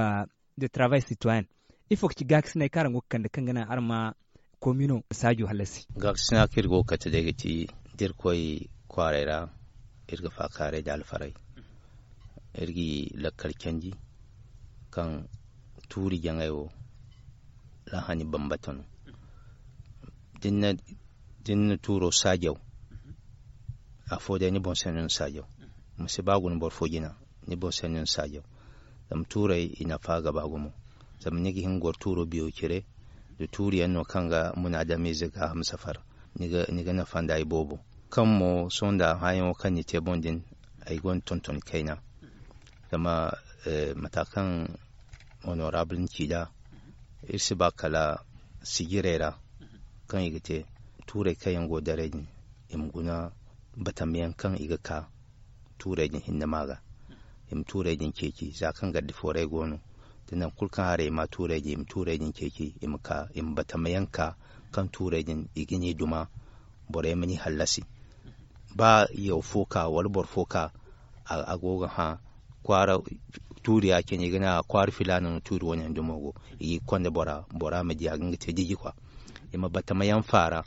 de travail citoyen ifo ga ci gaakasinay kaŋ araŋ go ga kande kaŋ ga naŋ araŋ ma komino saajo hallasi? Gaakasina kaŋ iri go ga kate day ga ci da iri koy kwaaray ra. Iri ga faakaaray da alfaray. Iri ga i lakkal canji kaŋ tuuri jaŋay wo laahani bambata no. Da ni na tuuro saajaw afo day ni boŋ se no ni saajaw. Ma si ba guna boro fo jina ni boŋ se no ni saajaw. Zama tuurey i nafa ga ba gumo. Zama ni ga hin ga goro tuuro biyo cire nda tuuri yaŋ no kaŋ ga munaadamiize gaaham safar. ni ga nafa nda iboobo. Kaŋ mo sohõ nda hããyaŋo kaŋ ni te boŋ din, ay gonda tonton kayna. Zama mata kaŋ honorable ni ci nd'a, iri si ba kala sijirey ra kaŋ i ga te, tuurey kaŋ yaŋ go daray din, i ma guna batamayaŋ kaŋ i ga ka tuurey din hinne ma ga. I ma tuurey din ceeci za kaŋ gardi fooray go no, da nangu kulu kaŋ haray i ma tuurey din i ma tuurey din ceeci, i ma ka i ma batamayaŋ ka kaŋ tuurey din i ga ni duma, borey ma ni hallasi. Ba yaw fo ka wala boro fo ka, a go ga hã kwaara tuuri ya cine i ga ne a kwaara filaana no tuuri wane dumo go. I ga i konda bora, bora ma di a ga nga te jiji kwa. I ma batamayaŋ faara,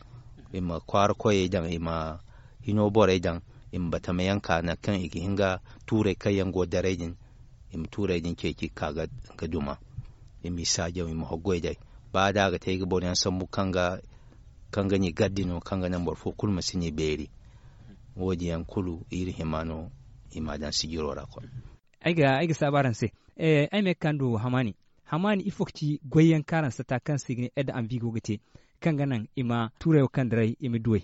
i ma kwaara koyey daŋ, i ma hino borey daŋ, i ma batamayaŋ ka nangu kaŋ i ga hin ga tuurey kaŋ yaŋ go daray din, i ma tuurey din ceeci ga ka ga duma. I m'i saajaw i ma hoggoy day. Ba da a ga te ay ga boro yaŋ sambu kaŋ ga ni gaddi no kaŋ ga naŋ boro fo kulu ma si ni beeri. Wo- din yaŋ kulu iri hima no i m'a daŋ sijiro ra koy. Ay ga saabu araŋ se. Ay ma ye ga ka nda hamaani. Hamaani ifo ga ci goy yaŋ kaŋ araŋ sata kaŋ se i ga ne ed anvi go ga te, kaŋ ga naŋ i ma tuurey wo kaŋ daray i ma duw'ey?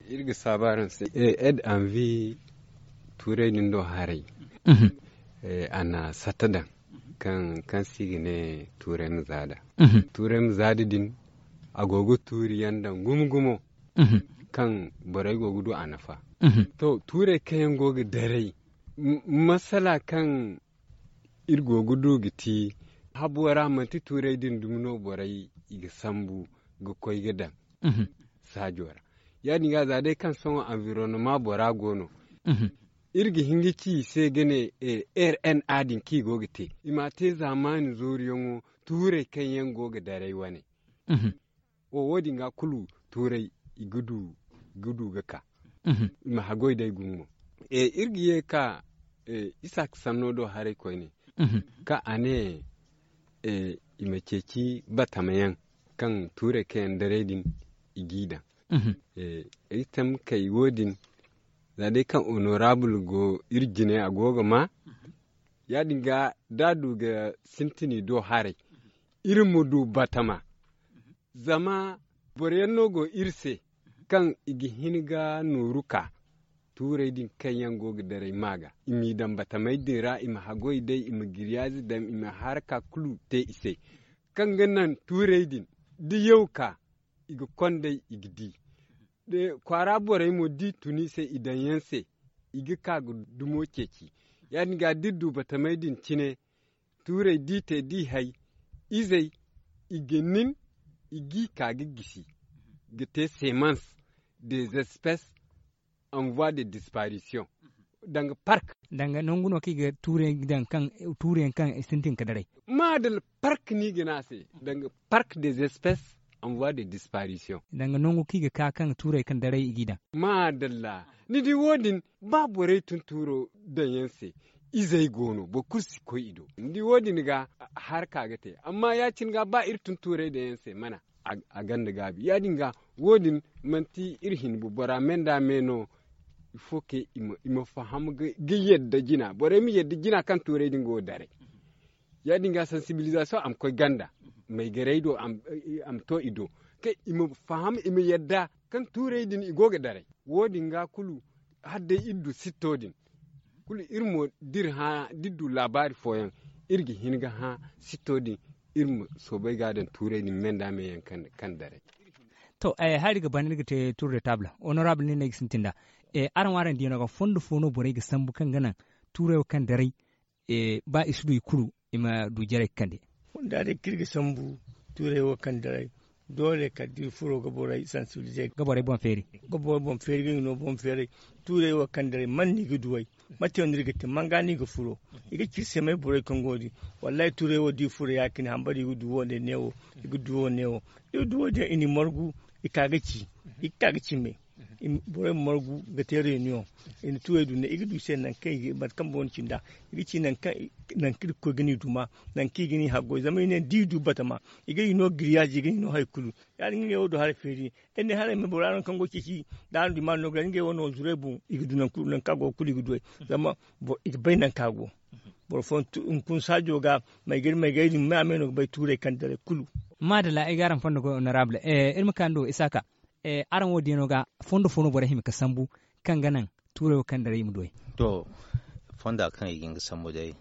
Iri ga saabu araŋ se. Ed anvi tuurey din do haray, a na sata daŋ kaŋ se i ga ne tuurey ma zaada. Tuurey ma zaada din, a go ga tuuri yaŋ daŋ gumo gumo kaŋ borey go ga du a nafa. To, tuurey kaŋ yaŋ go ga daray, masala kaŋ iri go ga du ga ti, habo ra manti tuurey din dumi no borey i ga sambu ga koy ga daŋ saajo ra. Ya- din ga za day kaŋ sohõ anvironoma bora go no, iri ga hin ga ci i se ga ne, rna din kaŋ i go ga te, i m'a te zaamaani zooruyaŋo tuurey kaŋ yaŋ go ga daray wane. Wo- din ga kulu tuurey i ga du ga ka, i ma haggoy day gumo. Iri ga ye ga ka isaak sanno do haray koyne, kaŋ a ne i ma ceeci batama yaŋ kaŋ tuurey kaŋ yaŋ daray din i g'i daŋ. Ay tam kay wo- din, za day kaŋ honorable go iri jine a go ga ma, ya- din ga da a du ga sintin i do haray, iri ma du batama. Zama boro yaŋ no go iri se kaŋ i ga hin ga nooru ka tuurey din kaŋ yaŋ go ga daray ma ga, i m'i daŋ batamey din ra, i ma haggoy day, i ma giriyaazi daŋ, i ma haraka kulu te i se, kaŋ ga naŋ tuurey din da yaw ka, i ga konday i ga di. Kwaara borey mo da i tun i se i daŋ yaŋ se, i ga ka ga dumo ceeci. Ya- din ga da iri du batamey din cine, tuurey da i te da i hay, izey, i ga nin, i g'i ka ga gisi, ga te seemans des espèces en voie de disparition. Danga park. Danga nangu no kaŋ i ga tuurey daŋ kaŋ tuurey yaŋ kaŋ i sintin ga daray. Maadalla, park no i ga ne a se, danga park des espèces en voie de disparition. Danga nangu kaŋ i ga ka kaŋ tuurey kaŋ daray i g'i daŋ. Maadalla, ni di wo- din, ba borey tun tuuro daŋ yaŋ se, izey go no, boro kulu si koy i do. Ni di wo- din ga haraka ga te. Amma ya- cine ga ba iri tun tuurey daŋ yaŋ se mana, a ganda gaabi. Ya- din ga, wo- din manti iri hinbu bora me nda me no. Ifo ke i ma faham ga yadda jina, borey ma yadda jina kaŋ tuurey din go ga daray. Ya- din ga sansibilizasiyoŋ a ma koy ganda, maygarey do a ma to i do, kaŋ i ma faham, i ma yadda kaŋ tuurey din i go ga daray. Wo- din ga kulu, hala day iri du sitto din, kulu iri mo da iri du laabaari fooyaŋ, iri ga hin ga hã sitto din, iri ma soobay ga a daŋ tuurey din me nda me yaŋ kaŋ daray. To, hari ga ban iri ga te tour de table, honorable nin no ay ga sintin nd'a. Araŋ wo araŋ diyaŋo ga fondo fo no borey ga sambu kaŋ ga naŋ tuurey wo kaŋ daray, ba i si du i kulu, i ma du jarey ga kande? Fonda day kaŋ iri ga sambu tuurey wo kaŋ daray, doole kala da iri furo ga borey sansibilize, ga borey boŋ feeri, ga borey boŋ feeri ga i no boŋ feeray. Tuurey wo kaŋ daray man no i ga duw'ey? Mate no iri ga te? Man ga no i ga furo? I ga ci iri se may borey kaŋ go din. Wallahi, tuurey wo da i furo ya- cine hambari i ga du wo- ne wo, i ga du wo- ne wo. Da i du wo- din i n'i margu, i ka ga ci, i ga ka ga ci me. Borey ma margu ga te reunion, i na tuurey du ne i ga du i se nangu kaŋ i ga mate kaŋ boŋ no ci nd'a. I ga ci nangu kaŋ iri ga koy ga ni duma, nangu kaŋ i ga ni haggoy zama i ne da i du batama, i ga i no giriyaazi, i ga i no hari kulu. Ya- din ga ngey wo du haray feeri. Ay ne haray ma bora no kaŋ go ceeci, da araŋ du i ma no ga ngey wo no zuray boŋ, i ga du nangu kaŋ a go ga kulu i ga du ay. Zama i ga bay nangu kaŋ a go. Boro fooyaŋ hunkuna saajo ga, maygari maygari din me a me no ga bay tuurey kaŋ daray kulu. Maadalla, ay ga araŋ fondo goy honorable. Iri ma ka ni do isaaka. Araŋ wo diyaŋo ga fondo fo no borey hima ga sambu kaŋ ga naŋ tuurey wo kaŋ daray i ma du ay? To, fonda kaŋ i ga hin ga sambu day,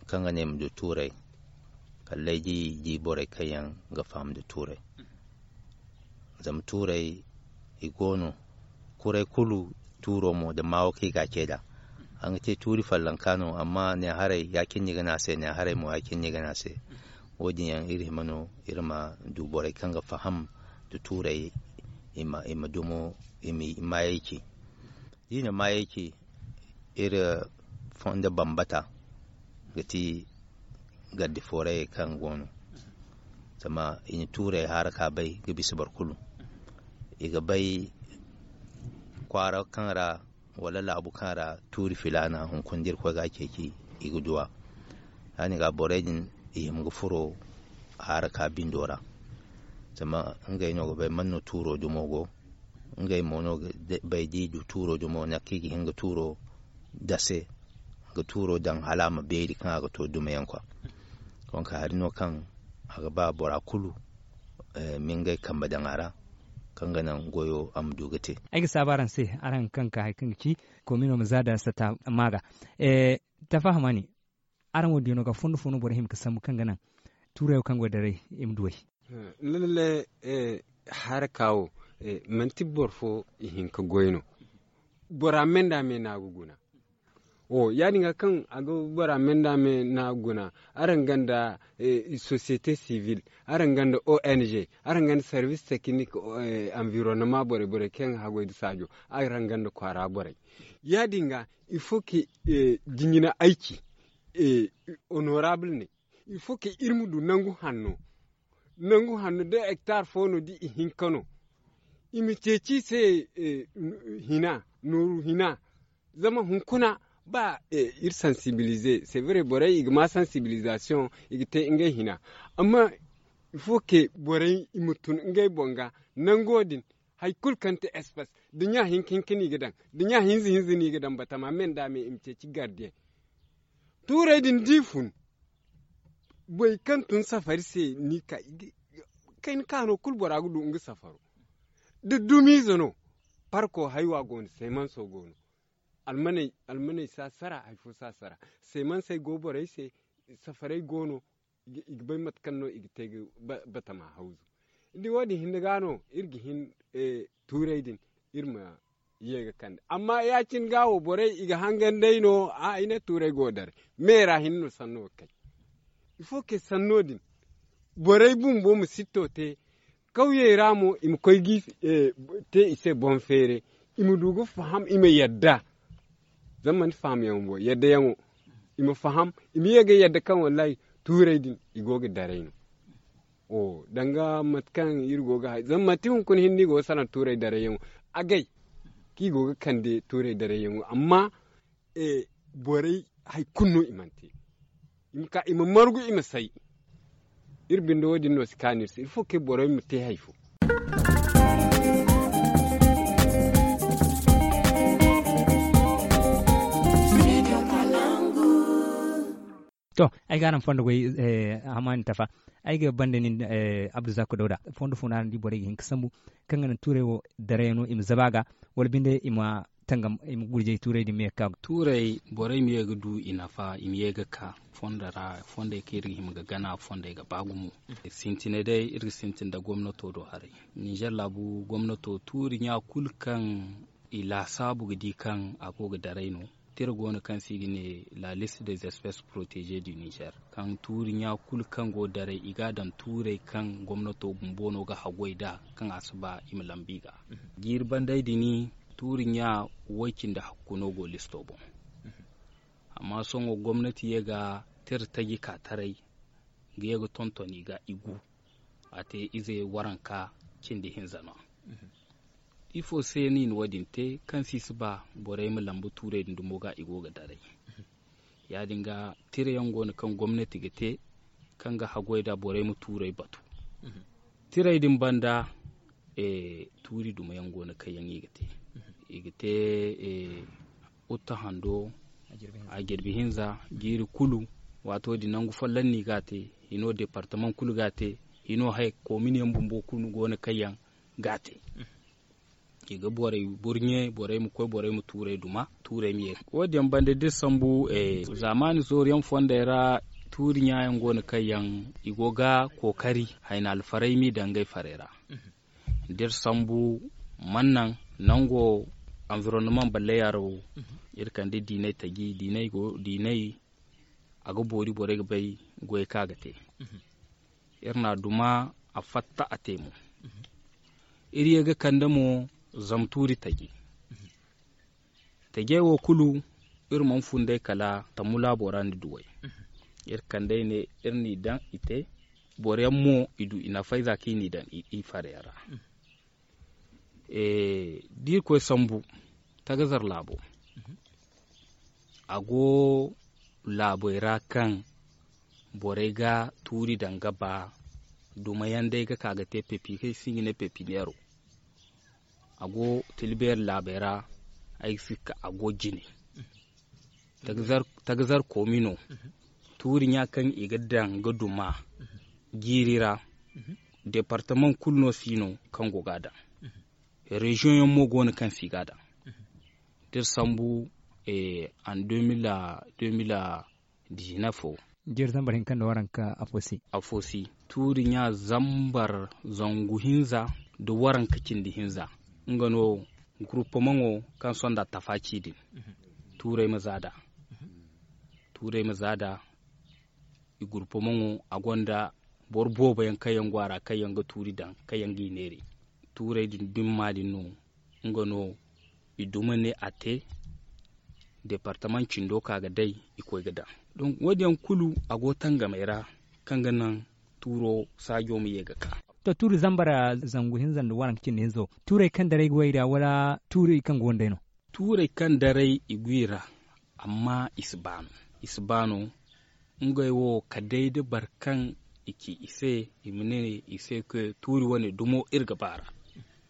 kaŋ ga ne i ma du tuurey, kala day da i di borey kaŋ yaŋ ga faham nda tuurey. Zama tuurey i go no, kuray kulu tuuro mo nda maawo kaŋ i ga a ce nd'a. Araŋ ga te tuuri follonka no, amma ne haray ya-cine no i ga ne a se, ne haray mo ya-cine no i ga ne a se. Wo-din yaŋ iri hima no iri ma du borey kaŋ ga faham nda tuurey, i ma dumo i ma maayey ci. Da i na maayey ci, iri fondo bambata ga ti garde foreyey kaŋ go no. Zama i na tuurey haara ka bay ga bisa boro kulu. I ga bay kwaara kaŋ ra wala laabu kaŋ ra tuuri filaana hunkuna da Irkoy ga a ceeci, i ga du a. Ya-din ga borey din i hima ga furo haara ka bindo ra. Zama ngey no ga bay man no tuuro dumo go. Ngey mo no ga bay da i du tuuro dumo nangu kaŋ i ga hin ga tuuro dase, ga tuuro daŋ hala a ma beeri kaŋ a ga to dumayaŋ kwa. Donk hari no kaŋ a ga ba bora kulu ma ngey kambe daŋ a ra, kaŋ ga naŋ goyo a ma du ga te. Ay ga saabu araŋ se, araŋ kaŋ ga ka hari kaŋ ga ci komino ma za da sata maaga. Tafa hamani, araŋ wo diyaŋo ga fondo fo no borey hima ga sambu kaŋ ga naŋ tuurey wo kaŋ go daray i ma du ay? Lalle, haraka wo, manti boro fo i hin ga goy no. Bora me nda me no a ga guna. Wo ya-din ga kaŋ a ga bora me nda me no a ga guna, araŋ gonda société civile, araŋ gonda ong, araŋ gonda service technique, environnement borey borey kaŋ ga haggoy nda saajo, araŋ gonda kwaara borey. Ya-din ga il faut que jinjina ayci, honorable ne, il faut que iri ma du nangu hanno. Nangu hanno da hectare fo no da i hinka no, i ma ceeci i se hina, nooru hina. Zama hunkuna ba iri sensibiliser, c'est vrai, borey i ga ma sensibilisation, i ga te ngey hina. Amma il faut que borey i ma tun ngey boŋ ga nango din. Hari kulu kaŋ ti espace da ɲa hinka hinka no i ga daŋ, da ɲa hinza hinza no i ga daŋ batama me nda me i ma ceeci gardien. Tuurey din da i fun, borey kaŋ tun safari se no i ka, kayna kaano kulu bora ga du nga safaro. Da dumiize no, parko haywa go no, seemanso go no. Almaney si a sara, hari fo si a sara. Seemansey go borey se, safarey go no, i ga bay mate kaŋ no i ga te ga batama hawzu. Ni di wo-din hinne ga no iri ga hin tuurey din iri ma ye ga kande. Amma ya-cine ga wo borey i ga hangan day no, a i ne tuurey go daray me ra hinne no sanno ga kay. Il faut que sanno din borey bumbo ma sitto te. Kawyey ra mo i ma koy ga te i se boŋ feere, i ma du ga faham, i ma yadda. Zama manti fahamyaŋo bo, yaddayaŋo. I ma faham, i ma ye ga yadda kaŋ wallahi tuurey din i go ga daray no. Danga mate kaŋ iri go ga hay zama manti hunkuna hinne i go ga salaŋ tuurey darayyaŋo. Agay kaŋ i go ga kande tuurey darayyaŋo amma borey hari kulu no i mana te. I ma ka i ma margu i ma say. Iri binde wo- din no si kaanu iri se il faut que borey ma te hari fo. To, ay ga araŋ fondo goy, hamani tafa. Ay ga banda nin, abduzako dawda fondo fo no araŋ di borey ga hin ga sambu kaŋ ga naŋ tuurey wo daray no i ma zaba ga, wala binde i ma tangam i ma gurjay tuurey din ma ye ga ka. Tuurey borey ma ye ga du i nafa, i ma ye ga ka fondo ra, fondey kaŋ iri ga hima ga gana fondey ga ba gumo. Sintinay day iri ga sintin nda gomnato do haray. Ninzeer laabu gomnato tuuri ɲa kulu kaŋ i laasaabu ga di kaŋ a go ga daray no. Tira go no kaŋ se i ga ne la liste des espèces protégées du niger. Kaŋ tuuri ɲa kulu kaŋ go daray i ga a daŋ tuurey kaŋ gomnato bumbo no ga haggoy nd'a kaŋ a si ba i ma lambu i ga. Jiiri banday din tuuri ɲa way cindi hakku no go listo boŋ. Amma sohõ gomnati ye ga tira taji ka taray ga ye ga tonton i ga i gu. A te ize waranka cindi hinza no. Ifo se no i na wo- din te kaŋ se i si ba borey ma lambu tuurey din dumo ga i go ga daray? Ya- din ga tirayaŋ go no kaŋ gomnati ga te kaŋ ga haggoy nd'a borey ma tuurey batu. Tirey din banda tuuri dumayaŋ go no kaŋ yaŋ i ga te. I ga te utta hando, a jirbi hinza jiiri kulu. Waato din nangu folloŋ no i ga a te. Hino departamaŋ kulu ga a te. Hino haya koominiyaŋ bumbo kulu go no kaŋ yaŋ ga a te. I ga borey burɲe, borey ma koy, borey ma tuurey duma, tuurey ma ye. Wo- din yaŋ banda da iri sambu zaamaani zooru yaŋ fondey ra, tuuri ɲaayaŋ go no kaŋ yaŋ i go ga kookari hayna alfarey m'i daŋ ngey farey ra. Da iri sambu, man naŋ nango anvironnomaŋ balleyaaro, iri kande diiney taji diiney go diiney. A ga boori borey ga bay goyey kaŋ a ga te. Iri na a duma, a fatta a te mo. Iri ye ga kande mo zama tuuri taji. Tajey wo kulu, iri mana fun day kala tammu laabo ra ni duw'ey. Iri kand'ey ne iri n'i daŋ i te. Boro yaŋ mo i du i nafay za kaŋ i n'i daŋ i fara yaŋ ra. Da iri koy sambu, tagazar laabo, a go laabey ra kaŋ borey ga tuuri daŋ ga ba. Duma yaŋ day ga ka ga te pepi kaŋ i si ga ne pepineero. A go tilbeeri laabey ra. Ay ga si ka a go jine. Tagazar koomino, tuuri ɲa kaŋ i ga daŋ ga duma jiiri ra. Departamaŋ kulu no si no kaŋ go ga a daŋ. Reziyoŋ yaŋ mo go no kaŋ si ga a daŋ. Da iri sambu, an deux mille, deux mille dix-neuf wo, jeeri zambar hinka nda waranka afo se. Afo se, tuuri ɲa zambar zangu hinza nda waranka cindi hinza. Nga no gurupumaŋo kaŋ sonda tafa ci din. Tuurey ma za nd'a. Tuurey ma za nd'a. I gurupumaŋo, a gonda boro boobo yaŋ kaŋ yaŋ go a ra kaŋ yaŋ ga tuuri daŋ, kaŋ yaŋ g'i neeri. Tuurey din dumma din no, nga no i duma ne a te. Departamaŋ cindo ka ga day, i koy ga daŋ. Donk wo- din yaŋ kulu, a go tangamey ra kaŋ ga naŋ tuuro saajo ma ye ga ka. To, tuuri zambar zangu hinza nda waranka cindi hinzo, tuurey kaŋ daray go i ra, wala tuuri kaŋ go nd'ey no? Tuurey kaŋ daray i go i ra, amma i si ba no. I si ba no. Ngey wo, ka day da boro kaŋ i ci i se, i ma ne i se kaŋ tuuri wane dumo iri ga ba a ra.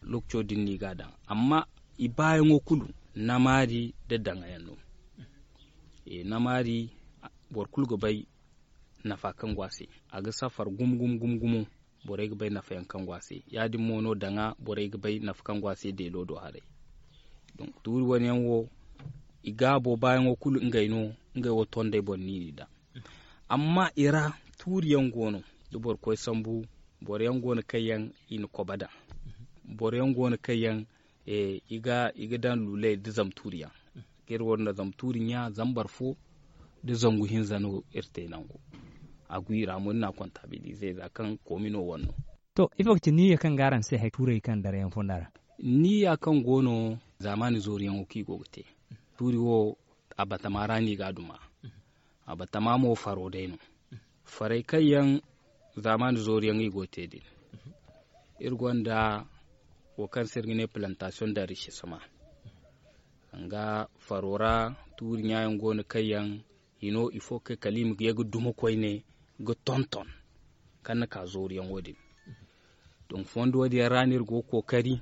Lookaco din no i ga a daŋ. Amma i baayaŋo kulu, namaari nda daŋa yaŋ no. Namaari, boro kulu ga bay nafa kaŋ go a se. A ga safar gumo gumo gumo gumo. Borey ga bay nafa yaŋ kaŋ go a se. Ya- din mo no daŋa borey ga bay nafa kaŋ go a se deelo do haray. Donk tuuri wane yaŋ wo, i gaabo baayaŋo kulu ngey no. Ngey wo tondey boŋ no i n'i daŋ. Amma i ra, tuuri yaŋ go no, da boro koy sambu, boro yaŋ go no kaŋ yaŋ i na koba daŋ. Boro yaŋ go no kaŋ yaŋ i ga daŋ luuley nda zamtuuri yaŋ. Iri wo nda zamtuuri ɲa zambar fo nda zangu hinza no iri te nangu. A go i ra mo ni n'a kontaabilize za kaŋ koomino wane no. To, ifo ga ti niyya kaŋ ga araŋ se hari tuurey kaŋ daray yaŋ fonda ra? Niyya kaŋ go no, zaamaani zooru yaŋo kaŋ i go ga te. Tuuri wo, a batama ra no i ga a duma. A batama mo faro day no. Farey kaŋ yaŋ zaamaani zooru yaŋ i go ga te din. Iri gonda wo kaŋ se iri ga ne plantasiyoŋ da risisama. Danga faro ra, tuuri ɲa yaŋ go no kaŋ yaŋ hino ifo kay kala i ma ye ga duma koyne ga tonton kaŋ na ka zooru yaŋo din. Donk fondo wo- din yaŋ ra no iri go ga kookari.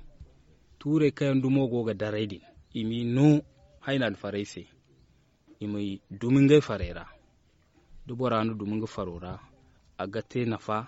Tuurey kaŋ yaŋ dumo go ga daray din, i m'i no hayna alfarey se. I ma dumi ngey farey ra. Da bora na dumi nga faro ra, a ga te nafa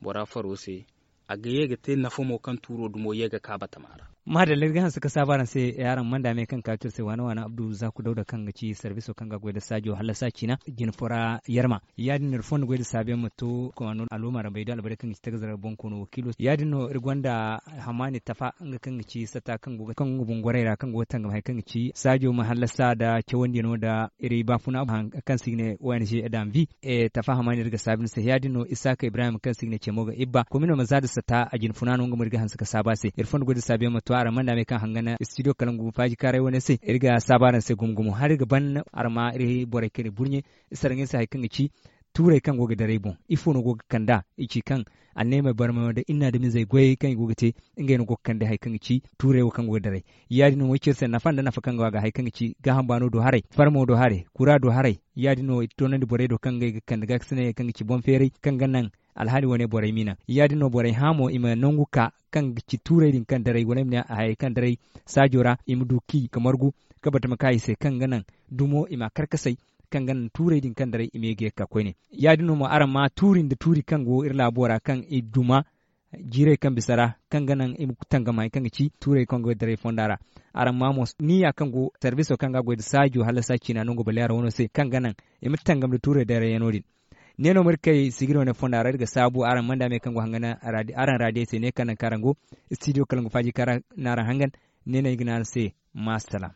bora faro se. A ga ye ga te nafa mo kaŋ tuuro dumo ye ga ka batama ra. Maadalla, iri ga hanse ga saabu araŋ se. Araŋ manda me kaŋ kaati iri se waana waana Abdu Zaku Dawda kaŋ ga ci sarbiso kaŋ ga goy nda saajo hallasa ciina jine fo ra yarma. Ya- din no iri fondo goy nda saabu yaŋ ma to komaano aluma ra bay da albare kaŋ ga ci tagazar boŋ koono wakiilo. Ya- din no iri gonda hamaani tafa nga kaŋ ga ci sata kaŋ go ga kaŋ ga bungwaray ra kaŋ go ga tangam hari kaŋ ga ci saajo ma hallasa nda cawandi no nda iri baafuna kaŋ se i ga ne O N G danvi. Tafa hamaani iri ga saabu ni se ya- din no isaaka ibrahim kaŋ se i ga ne cemo ga ibba komino ma za nda sata a jine funa no nga mo iri ga hanse ga saabu a se iri fondo goy nda saabu yaŋ ma to araŋ manda me kaŋ hangana studio kala ngu faaji kaaray wane se iri ga saabu araŋ se gumo gumo hala iri ga ban araŋ ma iri borey kaŋ iri burɲe. Saraŋey se hari kaŋ ga ci tuurey kaŋ go ga daray boŋ ifo no go ga kand'a? I ci kaŋ anneemey barmayaŋo nda inna dumizey goyey kaŋ i go ga te ngey no go ga kande hari kaŋ ga ci tuurey wo kaŋ go ga daray. Ya- din no mo ay ci iri se nafa nda nafa kaŋ go a ga hari kaŋ ga ci gaaham baano do haray farmo do haray kura do haray. Ya- din no i toonandi borey do kaŋ ngey ga kande gaakasinayey kaŋ ga ci boŋ feeray kaŋ ga naŋ alhaali wane borey m'i naŋ. Ya- din no borey hã mo i ma nangu ka kaŋ ga ci tuurey din kaŋ daray wala ay ma ne hayey kaŋ daray saajo ra i ma du k'i ga margu ka batama ka i se kaŋ ga naŋ dumo i m'a karkasay kaŋ ga naŋ tuurey din kaŋ daray i ma ye ga ye ga ka koyne. Ya- din no mo araŋ ma tuuri nda tuuri kaŋ go iri laabo ra kaŋ i duma jiirey kaŋ bisa ra, kaŋ ga naŋ i ma tangam hari kaŋ ga ci tuurey kaŋ goy daray fonda ra. Araŋ ma mo ni ya kaŋ go sarbiso kaŋ ga a goy nda saajo hala saaci ciina nango baleera wano se kaŋ ga naŋ i ma tangam nda tuurey daray yaŋo din. Ne no ma iri kay sigiri wane fonda ra iri ga saabu araŋ manda me kaŋ go hangan araŋ raadiyey se ne kaŋ naŋ kaŋ araŋ go istidiyo kala nga faaji kaŋ ra n'araŋ hangan. Ne no ay ga ne araŋ se. Maasalaam.